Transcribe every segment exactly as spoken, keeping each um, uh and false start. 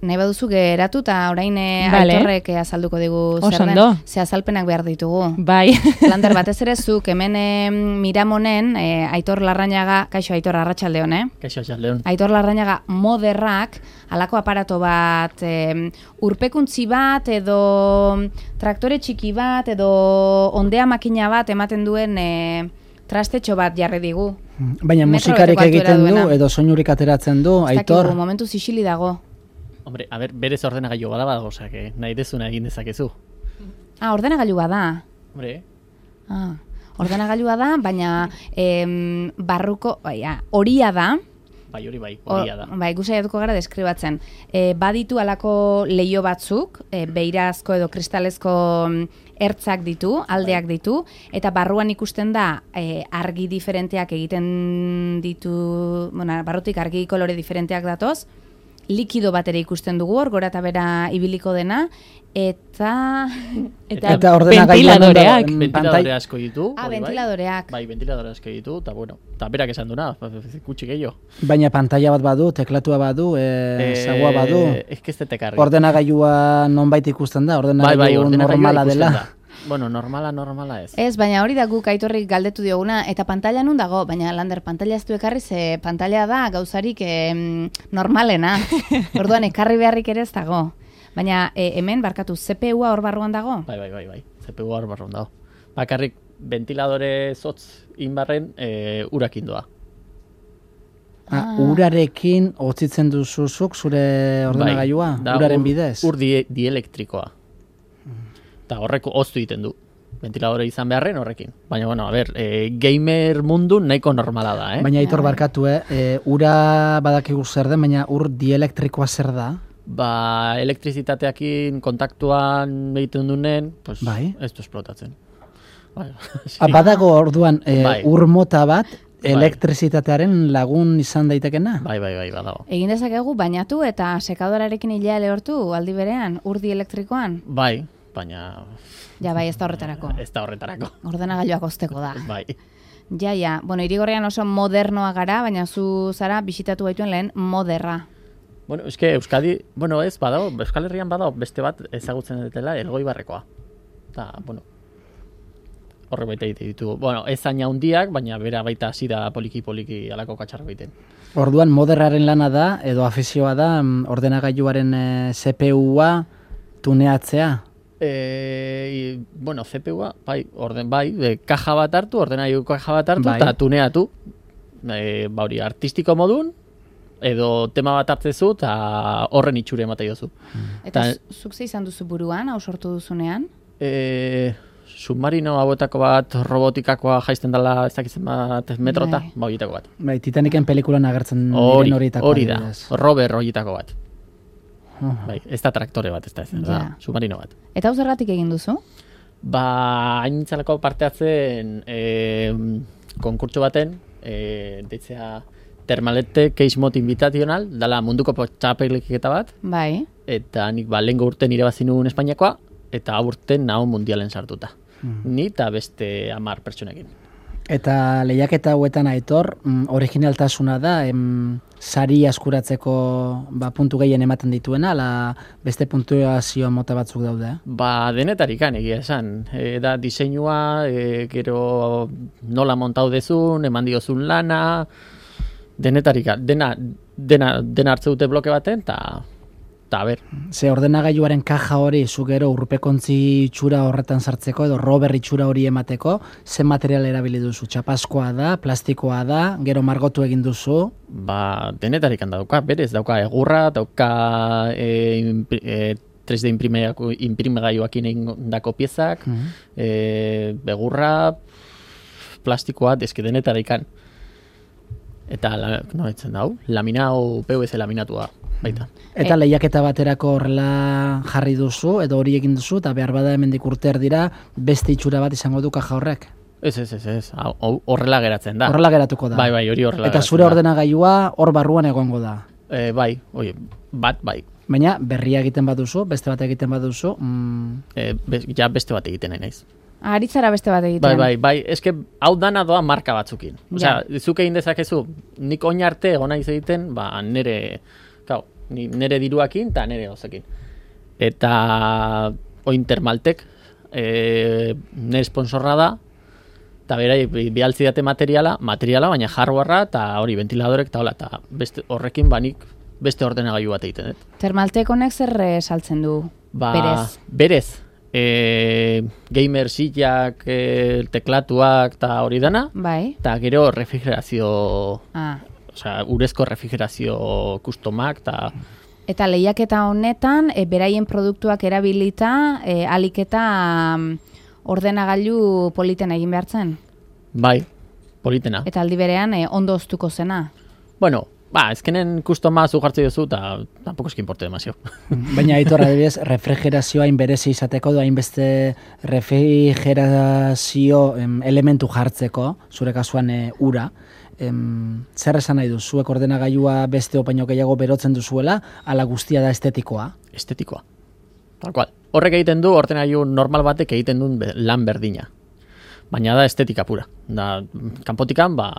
Nahi baduzu geratu eta orain Vale. Aitorrek azalduko digu zer den, Osondo. ze azalpenak behar ditugu. Bai. Lander, batez ere zuk hemen eh, Miramonen, eh, Aitor Larrañaga, kaixo Aitor Arratsaldeon, eh? Kaixo Arratsaldeon. Aitor Larrañaga moderrak, halako aparato bat, eh, urpekuntzi bat edo traktore txiki bat edo ondea makina bat ematen duen eh, trastetxo bat jarri digu. Baina Metro musikarik beteko altuera egiten du duena. edo soinurik ateratzen du, Ez Aitor. dakigu, momentu zisili dago. Hombre, a ber, berez ordenagailu bada badago, osea, que nahi dezuna egin dezakezu. Ah, ordenagailua da. Hombre, Ah, ordenagailua da, baina em, barruko, baina, horia da. bai hori bai, O- horia da. Bai, gu saiatuko gara deskribatzen. E, baditu alako leio batzuk, e, beirazko edo kristalezko mm, ertzak ditu, aldeak ditu, eta barruan ikusten da e, argi diferenteak egiten ditu, bueno, barrutik argi kolore diferenteak datoz, likido bat ere ikusten dugu hor, gora eta bera ibiliko dena, eta... Eta, Eta ordenagailuan ventiladoreak. dago, mm, Ventiladore pantai- asko ditu. Ah, hori bai. ventiladoreak. Bai, ventiladore asko ditu, eta bueno, eta berak esan duna, kutsi gehiago. Baina pantalla bat badu, teklatua badu, e, zagua badu. Ez que ez detekarri. Ordenagailua nonbait ikusten da, Bai, ordenagailu bai, ordenagailua normala ikusten dela. da. Bueno, normala, normala ez. Ez, baina hori da guk Aitorrik galdetu dioguna, eta pantalla nun dago, baina Lander, pantalla ez du ekarri, ze pantalla da gauzarik em, normalena. Orduan, ekarri beharrik ere ez dago. Baina e, hemen, barkatu, C P U-a hor barruan dago? Bai, bai, bai, bai. C P U hor barrun dago. Bakarrik ventiladore zotz inbarren e, urakin doa. Ah, urarekin otzitzen duzuzuk zure ordenagailua, Bai, da uraren ur- bidez. Ur die, dielektrikoa. Eta horreko oztu egiten du. Ventiladore izan beharren horrekin. Baina, bueno, a ber, e, gamer mundu nahiko normala da, eh? Baina Aitor barkatu, eh? E, ura badakigu zer den, baina ur dielektrikoa zer da? Ba, elektrizitateakin kontaktuan egiten dunen, pues, Bai. ez du esplotatzen. Bai, Ah, badago orduan e, Bai. ur mota bat Bai. elektrizitatearen lagun izan daitekena? bai, bai, bai, badago. Egin dezakegu bainatu eta sekadorarekin hilea lehortu aldi berean, urdi elektrikoan? Bai, baina Ja, bai, ez da horretarako. ez da horretarako. Ordenagailuak osteko da. Bai. Ja, ja. Bueno, Irigorrian oso modernoa gara, baina zu zara bisitatu baituen lehen moderra. Bueno, eske Euskadi, bueno, ez badago, Euskal Herrian badago beste bat ezagutzen dutela Elgoibarrekoa. Ta, bueno, horre baita egite ditugu. Bueno, ez zaina handiak, baina bera baita hasi da poliki-poliki alako katxarro egiten. Orduan moderraren lana da, edo afizioa da, mm, ordenagailuaren e, C P U-a tuneatzea? E, bueno, C P U-a, bai, orden bai, e, kaja bat hartu, ordenagailu kaja bat hartu, Bai. eta tuneatu. E, ba hori, artistiko modun, edo tema bat hartzezu, eta horren itxure ematen jozu. Eta Ta- zu- zuk ze izan duzu buruan, hau sortu duzunean? E, submarino hauetako bat robotikakoa jaisten dela ez dakitzen bat metrota, Bai. ba horietako bat. Bai, Titaniken pelikulan agertzen Hori, diren horietako hori da, adibidez. rover horietako bat. Uh-huh. Bai, ez da traktore bat, ez da, ez da, Ja. submarino bat. Eta hau zergatik egin duzu? Ba, haintzalako parte hartzen e, konkurtso baten, e, deitzea Termalete Case Mod Invitational, dala munduko txapeliketa bat, Bai. eta nik ba, lehengo urten irabazi nuen Espainiakoa, eta hau urten naho mundialen sartuta. Ni eta beste hamar pertsonekin. Eta lehiaketa hauetan Aitor, mm, originaltasuna da, em, sari askuratzeko ba, puntu gehien ematen dituena, ala beste puntuazio mota batzuk daude. Eh? Ba, denetarikan egia esan. E, da, diseinua, e, gero nola montau dezun, eman diozun lana, denetarika, dena, dena, dena hartze dute bloke baten, eta, eta, a ber, Ze ordenagailuaren kaja hori, zu gero urpekontzi itxura horretan sartzeko, edo rober itxura hori emateko, ze material erabili duzu? Txapazkoa da, plastikoa da, gero margotu egin duzu, ba, denetarikan dauka, berez, dauka egurra, dauka e, impri- e, tres D imprimegailu- imprimegailuakin egindako piezak, e, egurra, plastikoa, eske denetarikan. Eta, la, no, etzen dau, laminau, P V C laminatua, baita. eta lehiaketa baterako horrela jarri duzu, edo hori egin duzu, eta behar bada hemendik urter dira, beste itxura bat izango du kaja horrek. Ez, ez, ez, ez, hau- hau horrela geratzen da. Horrela geratuko da. Bai, bai, hori horrela Eta geratzen zure da. ordenagailua hor barruan egongo da. E, bai, oie, bat, bai. Baina berria egiten baduzu, beste bat egiten baduzu, mm, E, be, ja beste bat egiten nahi naiz. Aritzara beste bat egiten. Bai, bai, bai, eske hau dana doa marka batzukin. Osea, zuk egin dezakezu, nik oin arte egon naiz egiten, ba, nire, kau, Ni, nere diruakin eta nere gauzekin. Eta Ointermaltek e, nire sponsorra da, eta berai bialtzi date materiala, materiala, baina hardwarea eta hori ventiladorek eta hola, eta beste, horrekin banik beste ordenagailu bat egiten, dut. Termaltek honek zer saltzen du, ba, berez? Berez. E, gamer sillak, e, teklatuak eta hori dana, bai. Eta gero refrigerazio, ah. osea, urezko refrigerazio kustomak, eta... Eta lehiaketa honetan, e, beraien produktuak erabilita, e, alik eta um, ordenagailu politen egin behartzen? Bai, politena. Eta aldi berean, e, ondo oztuko zena? Bueno, ba, ezkenen kustoma zu jartzi duzu, eta tampoco eski importe demazio. Baina Aitor, adibidez, refrigerazioa hainberezi izateko, da hainbeste refrigerazio em, elementu jartzeko, zure kasuan e, ura, em, zer esan nahi du, zuek ordenagailua beste opaino gehiago berotzen duzuela, ala guztia da estetikoa? Estetikoa. Tal cual. Horrek egiten du, ordenagailu normal batek egiten duen be, lan berdina. Baina da estetika pura. Da, kanpotikan, ba,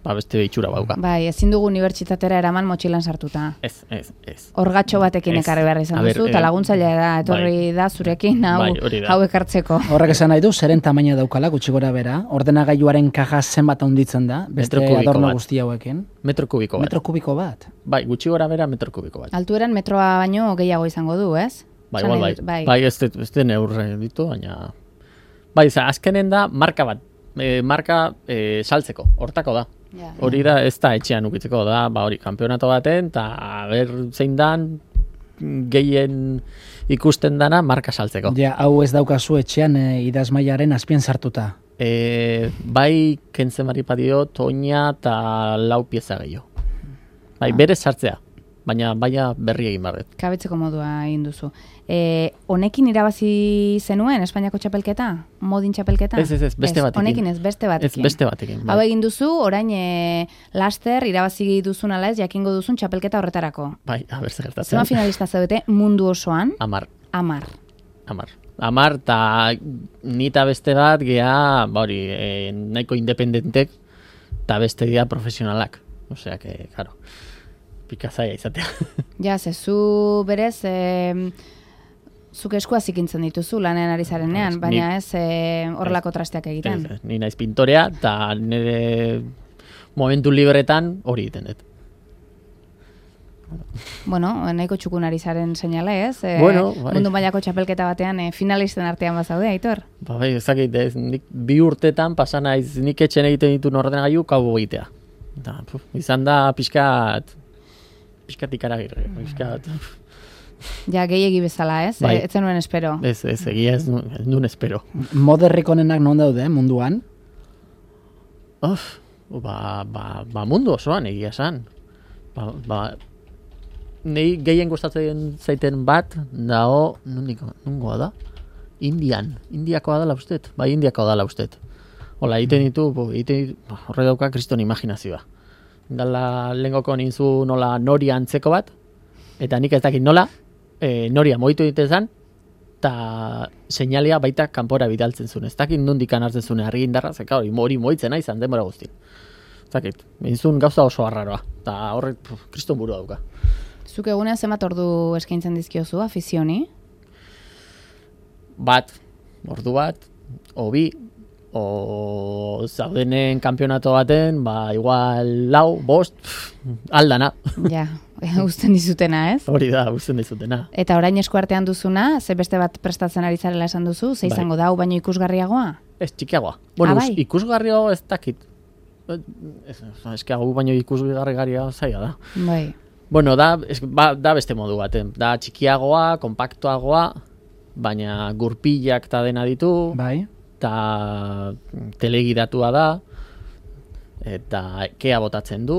ba beste itxura bauka. Bai, ezin dugu unibertsitatera eraman motxilan sartuta. Ez, ez, ez. Orgatxo batekin Ez. ekarri behar izan A ber, duzu, eta eh, laguntzailea da, etorri bai. da zurekin hau, Bai, hori da. hau ekartzeko. Horrek esan nahi du, zeren tamaina daukala, gutxi gora bera, ordenagailuaren kaja zenbat handitzen da, beste Metro kubiko adorno bat. guzti hauekin. Metro kubiko bat. Metro kubiko bat. Bai, gutxi gora bera metro kubiko bat. Altueran metroa baino gehiago izango du, ez? Bai, Esan igual, nahi bai. dut, bai. Bai, ez dut- ez den eurre ditu, baina... Bai, za, azkenen da marka bat. E, marka e, saltzeko, hortako da. Ja. Hori da, ez da etxean ukitzeko da, ba hori, kanpeonato baten, eta ber zein dan gehien ikusten dana marka saltzeko. Ja, hau ez daukazu etxean e, idazmaiaren azpien sartuta. E, bai, kentzen bari padio, toina eta lau pieza gehiago. Bai, berez sartzea, baina baina berri egin barret. Kabetzeko modua egin duzu. E, honekin irabazi zenuen Espainiako txapelketa? Modin txapelketa? Ez, ez, ez, beste batekin. Honekin ez, beste Ez batekin. beste batekin. Hau Bai, egin duzu, orain e, laster irabazi duzun ala ez, jakingo duzun txapelketa horretarako. bai, a ber, zer gertatzen. Zema finalista zaudete mundu osoan, Amar. amar. Amar. Amar, eta nita beste bat, gea, ba hori, e, nahiko independentek, eta beste dira profesionalak. Osea, que, claro, pikazaia izatea. Ja, ze zu berez, e, zuk eskua zikintzen dituzu lanean ari zarenean, Ez, baina ni- ez e, horrelako trasteak egiten. Ez, ez, ni naiz pintorea, eta nire momentu libretan hori egiten dut. Bueno, nahiko txukun ari zaren seinale, ez? E, Bueno, bai. Mundu mailako txapelketa batean e, finalisten artean bazaude, Aitor? Ba, bai, ezakit, ez, nik bi urtetan pasa naiz nik etxen egiten ditu ordenagailu kau egitea. Da, puf, izan da pixkat, pixkat ikaragirre, pixkat, Ja, gehiegi bezala, ez? Bai. E, ez zenuen espero. ez, ez, egia ez, nu- ez nun espero. Moderrik onenak non daude munduan? Of, ba, ba, ba mundu osoan egia esan. Ba, ba, nei gehien gustatzen zaiten bat, dago, nundiko, nungoa da? Indian, Indiakoa dela ustet, bai Indiakoa dela ustet. Hola, egiten ditu, bo, egiten ditu, ba, horre dauka kriston imaginazioa. Dala lehengoko ninzu nola noria antzeko bat, eta nik ez dakit nola, e, noria moitu ditezan, eta seinalia baita kanpora bidaltzen zuen. Ez dakit nondikan hartzen zuen argindarra, zeka hori hori moitzen nahi izan denbora guztin. Ez dakit, nintzun gauza oso arraroa, eta horrek puf, kriston burua dauka. Zuk egunean zenbat ordu eskaintzen dizkiozu afizioni? Bat, ordu bat, o bi, o zaudenen kanpionato baten, ba, igual lau, bost, pff, aldana. Ja, uzten dizutena, ez? Hori da, uzten dizutena. Eta orain eskuartean duzuna, ze beste bat prestatzen ari zarela esan duzu, ze Bai. izango da, hau baino ikusgarriagoa? Ez, txikiagoa. Bueno, Ah, us- bai? ikusgarriago ez dakit. Ez, eske hau baino ikusgarrigaria zaila da. Bai. Bueno, da, es, ba, da beste modu baten. Da txikiagoa, kompaktuagoa, baina gurpilak eta dena ditu, Bai. eta telegidatua da, eta kea botatzen du.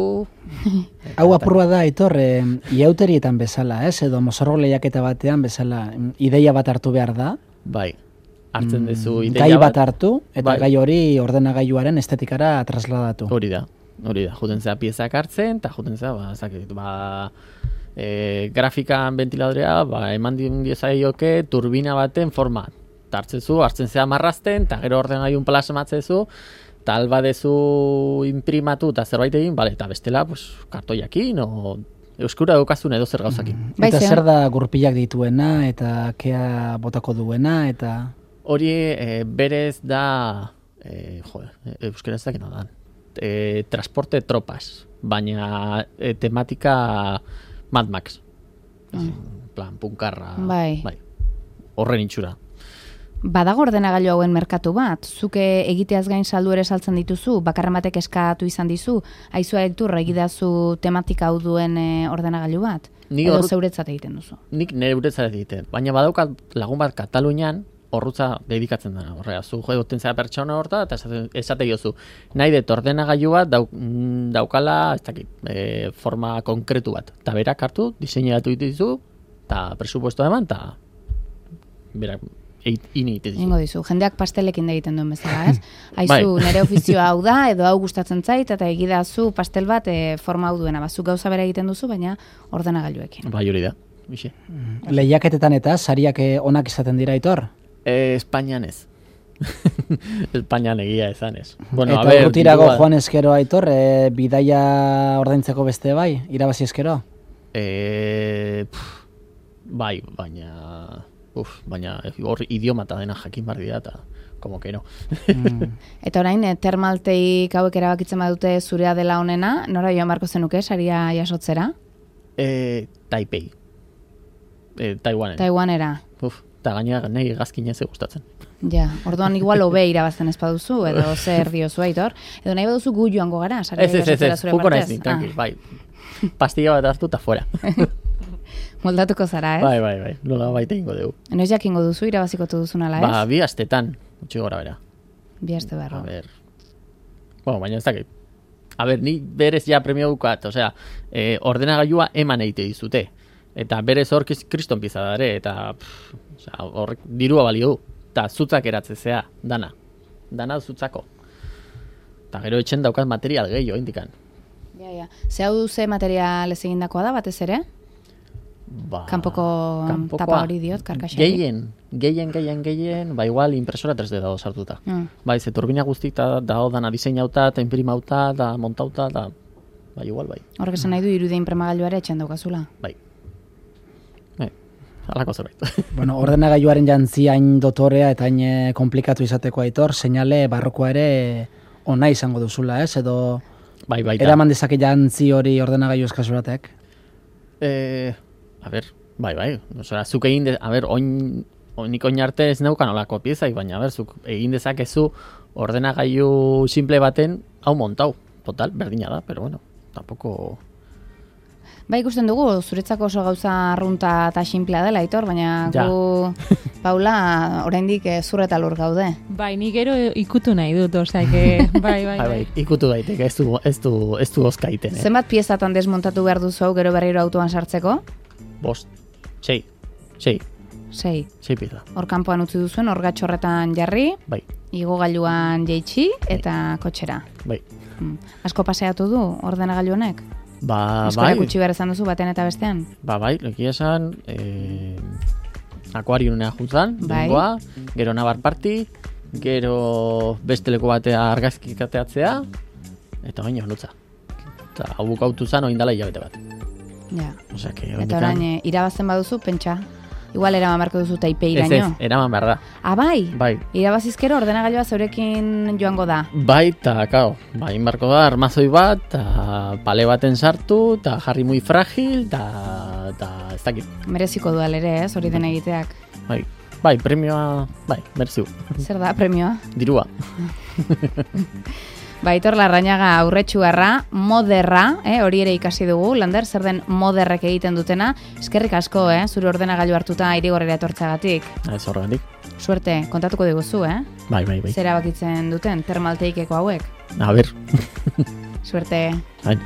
Hau apurua da, Aitor, e, iauterietan bezala, ez? Edo mozorro lehiaketa batean bezala, em, ideia bat hartu behar da. Bai, hartzen duzu Mm, ideia gai bat hartu, eta Bai. gai hori ordenagailuaren estetikara trasladatu. Hori da, hori da. Juten zea piezak hartzen, eta juten zea, ba, zakit, ba, e, grafikan ventiladorea, ba, eman diezaioke turbina baten forma. Eta hartzen zu, hartzen zea marrazten, eta gero ordenagailun plasmatzen zu, eta alba dezu imprimatu eta zerbait egin, bale, eta bestela, pues, kartoiakin, o euskura daukazun edo zer gauzakin. Mm. Bai, Eta ze- zer da gurpilak dituena, eta kea botako duena, eta... Hori e, berez da, e, joder, euskara ez dakena da, e, transporte tropas, baina e, tematika Mad Max. Mm. Plan, punkarra. Bai. bai. Horren itxura. Badago ordenagailu hauen merkatu bat, zuke egiteaz gain saldu ere saltzen dituzu, bakarren batek eskatu izan dizu, aizua Hektor egidazu tematika hau duen e, ordenagailu bat? Ni Edo hor- zeuretzat egiten duzu? Nik nire uretzat egiten, baina badaukat lagun bat Katalunian horrutza dedikatzen dena. Horrega, zu joten zera pertsona horta, eta esate, esate jozu. Nahi dut ordenagailu bat dauk, mm, daukala, ez dakit, e, forma konkretu bat. Eta berak hartu, diseinatu dituzu, eta presupuestoa eman, eta berak ini egiten dizu. Ingo dizu, jendeak pastelekin egiten duen bezala, ez? Aizu, Bai. nire ofizioa hau da, edo hau gustatzen zait, eta egidazu pastel bat e, forma hau duena. Bazuk gauza bera egiten duzu, baina ordenagailuekin. Bai, hori da. Bixe. Lehiaketetan eta sariak eh, onak izaten dira, Aitor? E, Espainian ez. Espainian egia esan ez. Bueno, eta a ber, urrutirago dirua- joan eskero, Aitor, e, bidaia ordaintzeko beste bai, irabazi eskero? E, pff, bai, baina... Uf, baina hor idiomata dena jakin bar dira eta como que no. Mm. Eta orain, e, termalteik hauek erabakitzen badute zurea dela honena, nora joan barko zenuke, saria jasotzera? E, Taipei. E, Taiwanen. Taiwanera. Uf, eta gainera nahi gazkina ze gustatzen. Ja, orduan igual hobe irabazten ez baduzu, edo zer diozu, Aitor. Edo nahi baduzu gu joango gara, saria Ez, ez, ez, jasotzera ez, zure juko naiz partez. ni, tranqui, bai. Pastilla bat hartu eta fuera. Ah, moldatuko zara, ez? Bai, bai, bai, nola baita ingo dugu. Noiz jakingo duzu, irabazikotu duzun ala, ez? Ba, bi astetan, utzi gora bera. Bi aste A barro. ber, bueno, baina ez dakit. A ber, ni berez ja premio dukat, osea, eh, ordenagailua eman egite dizute. Eta berez hor kiz- kriston pizza da ere, eta pff, osea, horrek dirua balio du. Eta zutzak eratzezea, dana. Dana zutzako. Eta gero etxen daukat material gehiago, indikan. Ja, ja. Ze hau ze material ez egindakoa da, batez ere? Ba, Kanpoko kanpokoa. tapa hori diot, karkaxari. Gehien, gehien, gehien, gehien, ba igual impresora tres D dago sartuta. Mm. Bai, ze turbina guztik da, dago dana diseinauta, eta imprimauta, da montauta, da, bai, igual, bai, Horrek esan nahi du irudie inpremagailu ere etxen daukazula. bai. Bai, halako zerbait. Bueno, ordenagailuaren jantzi hain dotorea eta hain eh, komplikatu izateko, Aitor, seinale barrokoa ere ona izango duzula, ez? Edo bai, bai, da. eraman dezake jantzi hori ordenagailu eskasuratek? Eh, a ber, bai, bai, osea, zuk egin, de, a ber, oin, oinik oin arte ez neukan olako piezai, baina, a ber, zuk egin dezakezu ordenagailu simple baten, hau montau, total, berdina da, pero bueno, tampoco... Bai, ikusten dugu, zuretzako oso gauza arrunta eta sinplea dela, Aitor, baina Ja. gu, Paula, oraindik eh, zur eta lur gaude. Bai, ni gero ikutu nahi dut, osea, que, bai, bai, Bai, bai. bai, ikutu daiteke, ez du, ez du, ez du ozkaiten, eh? Zenbat piezatan desmontatu behar duzu hau gero berriro autoan sartzeko? Bost, sei, sei, Sei. sei pieza, Hor kanpoan utzi duzuen, orgatxorretan jarri, bai, igogailuan jeitsi eta kotxera. bai. Hmm. Asko paseatu du ordenagailu honek? Ba, Eskola bai, gutxi behar izan duzu batean eta bestean? ba, bai, egia esan, eh, akuariunea juntzan, Bai. bengoa, gero nabar parti, gero beste leku batea argazkik ateatzea, eta baina nutza. Eta hau bukautu zan oindala hilabete bat. Ja. Osea, que Eta orain, eh, irabazten baduzu, pentsa. Igual eraman beharko duzu Taipei ez ez, iraino. eraman behar da. Ah, bai? Bai, Irabazizkero ordenagailua zeurekin joango da. bai, eta, kao, bai, inbarko da, armazoi bat, eta pale baten sartu, eta jarri muy fragil, eta, eta ez dakit. Mereziko dual ere, ez, hori den egiteak. Bai, bai, premioa, bai, merziu, Zer da, premioa? dirua. Baitor Larrañaga aurretxuarra, moderra, eh, hori ere ikasi dugu, Lander, zer den moderrek egiten dutena, eskerrik asko, eh, zure ordenagailu hartuta irigorrera etortzagatik. Ez horregatik. Suerte, kontatuko diguzu, eh? Bai, bai, bai. Zer erabakitzen duten, termalteikeko hauek. A ber, Suerte. bai.